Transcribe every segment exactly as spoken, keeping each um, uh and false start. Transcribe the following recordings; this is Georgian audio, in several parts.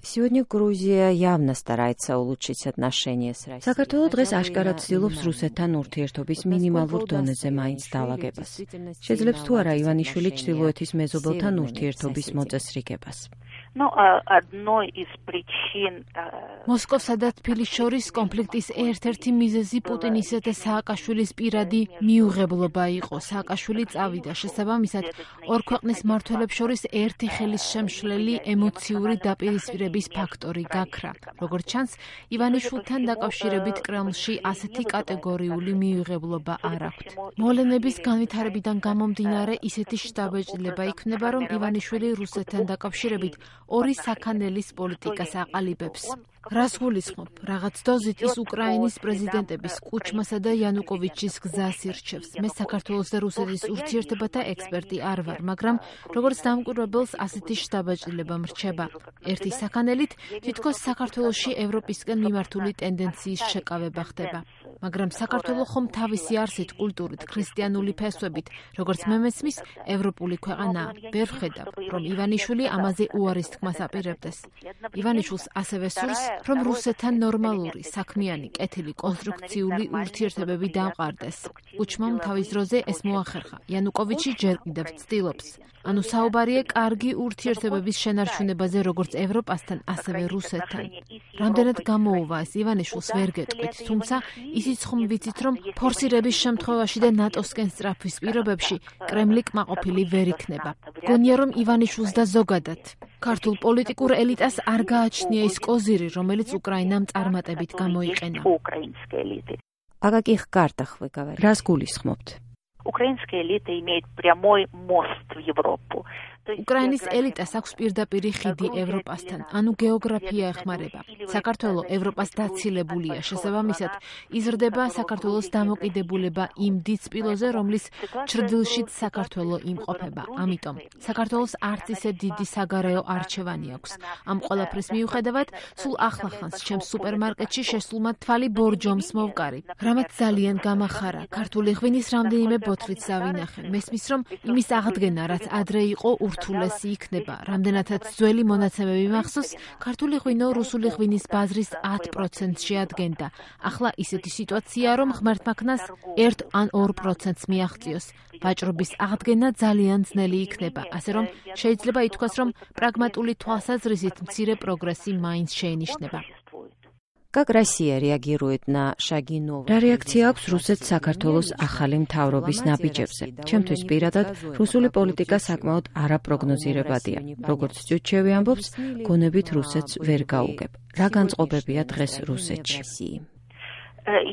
Сегодня Грузия явно старается улучшить отношения с Россией. საქართველო დღეს აშკარად ცდილობს რუსეთთან ურთიერთობის მინიმალურ დონეზე მაინც დაალაგებას. შეძლებს თუ არა ივანიშვილი ჩრდილოეთის მეზობელთან ურთიერთობის მოწესრიგებას. Ну, одной из причин მოსკოვსა და თბილისს შორის კონფლიქტის ერთ-ერთი მიზეზი პუტინისა და სააკაშვილის პირადი მიუღებლობა იყო. სააკაშვილი წავიდა, შესაბამისად, ორ ქვეყნის მმართველებს შორის ერთი ხელის შემშლელი ემოციური დაპირისპირების ფაქტორი გაქრა. როგორც ჩანს, ივანიშვილთან დაკავშირებით კრემლში ასეთი კატეგორიული მიუღებლობა არ აქვთ. მოვლენების განვითარებიდან გამომდინარე, ისეთი შთაბეჭდილება იქნება, რომ ივანიშვილი რუსეთთან დაკავშირებით ორი საქანელის პოლიტიკას აყალიბებს. რას გულისხმობ? რაღაც დოზით ის უკრაინის პრეზიდენტების კუჩმასა და იანუკოვიჩის გზას ირჩევს. მე საქართველოს და რუსეთის ურთიერთობათა ექსპერტი არ ვარ, მაგრამ როგორც დამკვირვებელს ასეთი შთაბეჭდილება მრჩება. ერთი საქანელით თითქოს საქართველოში ევროპისკენ მიმართული ტენდენციის შეკავება ხდება. მაგრამ საქართველო ხომ თავისი არსით, კულტურით, ქრისტიანული ფესვებით, როგორც მე მესმის, ევროპული ქვეყანაა. ვერ ვხედავ, რომ ივანიშვილი ამაზე უარის თქმას აპირებდეს. ივანიშვილს ასევე სურს, რომ რუსეთთან ნორმალური, საქმიანი, კეთილი, კონსტრუქციული ურთიერთობები დამყარდეს. კუჩმამ თავის დროზე ეს მოახერხა. იანუკოვიჩი ჯერ კიდევ ცდილობს. ანუ საუბარია კარგი ურთიერთობების შენარჩუნებაზე როგორც ევროპასთან, ასევე რუსეთთან. რამდენად გამოუვა ეს ივანიშვილს ვერ გეტყვით, თუმცა ისიც ხომ ვიცით, რომ ფორსირების შემთხვევაში და ნატოსკენ სწრაფვის პირობებში კრემლი კმაყოფილი ვერ იქნება. გონია, რომ ივანიშვილს და ზოგადად ქართულ პოლიტიკურ ელიტას არ გააჩნია ის კოზირი, რომელიც უკრაინამ წარმატებით გამოიყენა. Акаких картах вы говорите? Рас гулисхмобт. Украинская элита имеет прямой мост в Европу. უკრაინის ელიტას აქვს პირდაპირი ხიდი ევროპასთან, ანუ გეოგრაფია ეხმარება. საქართველო ევროპას დაცილებულია, შესაბამისად, იზრდება საქართველოს დამოკიდებულება იმ დიდსპილოზე, რომლის ჩრდილშიც საქართველო იმყოფება. ამიტომ საქართველოს არც ისე დიდი საგარეო არჩევანი აქვს. ამ ყველაფრის მიუხედავად, სულ ახლახანს ჩემს სუპერმარკეტში შესულმა თვალი ბორჯომს მოვკარი. რამაც ძალიან გამახარა. ქართული ღვინის რამდენიმე ბოთლიც დავინახე. მესმის, რომ იმის აღდგენა, რაც ადრე იყო, ურთულესი იქნება. რამდენადაც ძველი მონაცემები მახსოვს, ქართული ღვინო რუსული ღვინის ბაზრის ათ პროცენტს შეადგენდა. ახლა ისეთი სიტუაციაა, რომ ღმერთმაქნას ერთ ან ორ პროცენტს მიაღწიოს. ვაჭრობის აღდგენა ძალიან ძნელი იქნება, ასე რომ შეიძლება ითქვას, რომ პრაგმატული თვალსაზრისით მცირე პროგრესი მაინც შეინიშნება. Как Россия реагирует на шаги новых? რა რეაქცია აქვს რუსეთს საქართველოს ახალი მთავრობის ნაბიჯებზე? ჩემთვის პირადად რუსული პოლიტიკა საკმაოდ არაპროგნოზირებადია. როგორც ჭუჩევი ამბობს, გონებით რუსეთს ვერ გაუგებ. რა განწყობებია დღეს რუსეთში?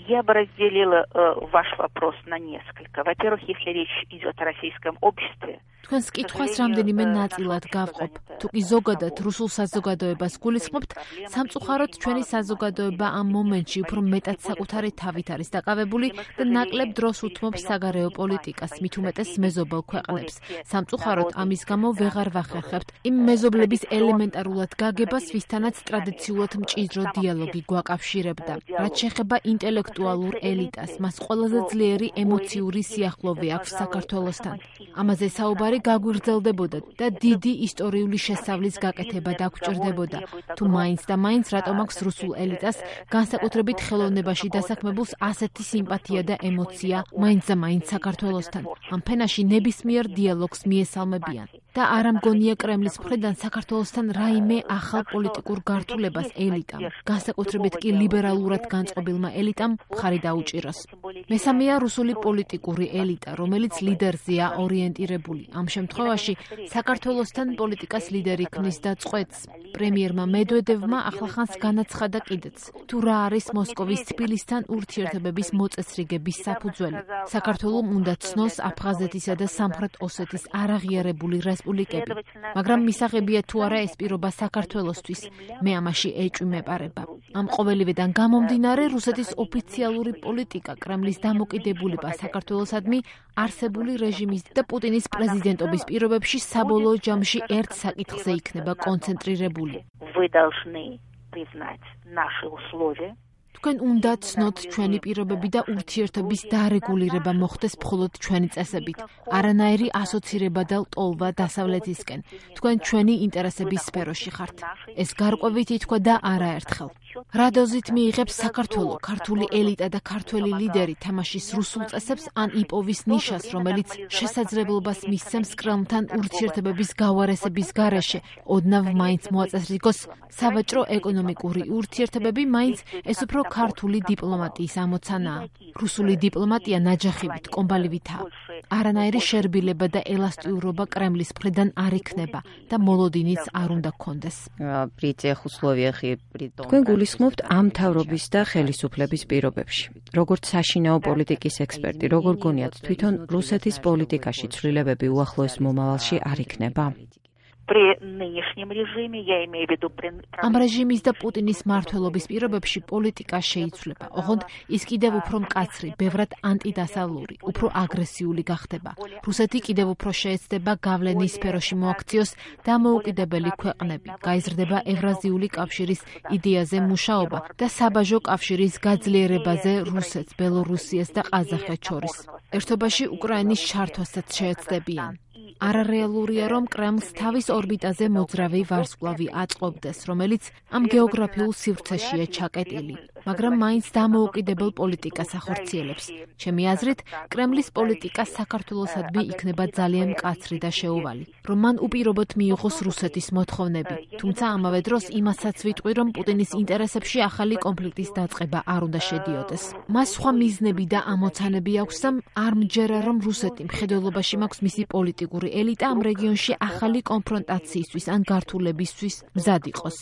Я бы разделила ваш вопрос на несколько. Во-первых, если речь идет о российском обществе, თქვენს კითხვას რამდენიმე ნაწილად გავყოფ. თუ კი ზოგადად რუსულ საზოგადოებას გულისხმობთ, სამწუხაროდ ჩვენი საზოგადოება ამ მომენტში უფრო მეტად საკუთარი თავით არის დაკავებული და ნაკლებ დროს უთმობს საგარეო პოლიტიკას, მით უმეტეს მეზობელ ქვეყნებს. სამწუხაროდ ამის გამო ვეღარ ვახერხებთ იმ მეზობლების ელემენტარულად გაგებას, ვისთანაც ტრადიციულად მჭიდრო დიალოგი გვაკავშირებდა. რაც შეეხება ინტელექტუალურ ელიტას, მას ყველაზე ძლიერი ემოციური სიახლოვე აქვს საქართველოსთან. ამაზე საუბარი გაგვირძელდებოდა და დიდი ისტორიული შესწავლის გაკეთება დაგვჭირდებოდა. თუ მაინც და მაინც რატომ აქვს რუსულ ელიტას განსაკუთრებით ხელოვნებაში დასაქმებულს ასეთი სიმპათია და ემოცია მაინც და მაინც საქართველოსთან. ამ ფენაში ნებისმიერ დიალოგს მიესალმებიან. და არ ამგონია კრემლის მხრიდან საქართველოსთან რაიმე ახალ პოლიტიკურ გართულებას ელიტამ, განსაკუთრებით კი ლიბერალურად განწყობილმა ელიტამ მხარი დაუჭიროს. მესამეა რუსული პოლიტიკური ელიტა, რომელიც ლიდერზეა ორიენტირებული. ამ შემთხვევაში საქართველოსთან პოლიტიკას ლიდერი ქმნის და წყვეტს. პრემიერმა მედვედევმა ახლახანს განაცხადა კიდეც, თუ რა არის მოსკოვის თბილისთან ურთიერთობების მოწესრიგების საფუძველი. საქართველომ უნდა ცნოს აფხაზეთისა და სამხრეთ ოსეთის არაღიარებული რესპუბლიკები, მაგრამ მისაღებია თუ არა ეს პირობა საქართველოსთვის, მე ამაში ეჭვი მეპარება. ამ ყოველივედან გამომდინარე, რუსეთის ოფიციალური პოლიტიკა, კრემლის დამოკიდებულება საქართველოსადმი არსებული რეჟიმის და პუტინის პრეზიდენტობის პირობებში საბოლოო ჯამში ერთ საკითხზე იქნება კონცენტრირებული. Вы должны признать наши условия. თქვენ უნდა ცნოთ ჩვენი პირობები და ურთიერთობის დარეგულირება მოხდეს მხოლოდ ჩვენი წესებით. არანაირი ასოცირება და ლტოლვა დასავლეთისკენ. თქვენ ჩვენი ინტერესების სფეროში ხართ. ეს გარკვევით ითქვა და არაერთხელ. რა დოზით მიიღებს საქართველო, ქართული ელიტა და ქართველი ლიდერი თამაშის რუსულ წესებს ან იპოვის ნიშას, რომელიც შესაძლებლობას მისცემს კრემლთან ურთიერთობების გავარესების გარეშე, ოდნავ მაინც მოაწესრიგოს სავაჭრო ეკონომიკური ურთიერთობები, მაინც ეს უფრო ქართული დიპლომატიის ამოცანაა. რუსული დიპლომატია ნაჯახივით, კომბალივითაა. არანაირი შერბილება და ელასტიურობა კრემლის მხრიდან არ იქნება და მოლოდინიც არ უნდა გქონდეს. თქვენ გულისხმობთ ამ მთავრობის და ხელისუფლების პირობებში. როგორც საშინაო პოლიტიკის ექსპერტი, როგორ გონიათ თვითონ რუსეთის პოლიტიკაში ცვლილებები უახლოეს მომავალში არ იქნება? ამ რეჟიმის და პუტინის მმართველობის პირობებში პოლიტიკა შეიცვლება, ოღონდ ის კიდევ უფრო მკაცრი, ბევრად ანტიდასავლური, უფრო აგრესიული გახდება. რუსეთი კიდევ უფრო შეეცდება გავლენის სფეროში მოაქციოს დამოუკიდებელი ქვეყნები, გაიზრდება ევრაზიული კავშირის იდეაზე მუშაობა და საბაჟო კავშირის გაძლიერებაზე რუსეთს, ბელორუსიას და ყაზახეთს შორის. ერთობაში უკრაინის ჩართვასაც შეეცდებიან. არარეალურია, რომ კრემლს თავის ორბიტაზე მოძრავი ვარსკვლავი აწყობდეს, რომელიც ამ გეოგრაფიულ სივრცეშია ჩაკეტილი, მაგრამ მაინც დამოუკიდებელ პოლიტიკას ახორციელებს. ჩემი აზრით, კრემლის პოლიტიკა საქართველოსადმი იქნება ძალიან მკაცრი და შეუვალი, რომ მან უპირობოდ მიიღოს რუსეთის მოთხოვნები, თუმცა ამავე დროს იმასაც ვიტყვი, რომ პუტინის ინტერესებში ახალი კონფლიქტის დაწყება არ უნდა შედიოდეს. მას სხვა მიზნები და ამოცანები აქვს და არ მჯერა, რომ რუსეთი მხედველობაში მაქვს მისი პოლიტიკური ელიტა ამ რეგიონში ახალი კონფრონტაციისთვის ან გართულებისთვის მზად იყოს.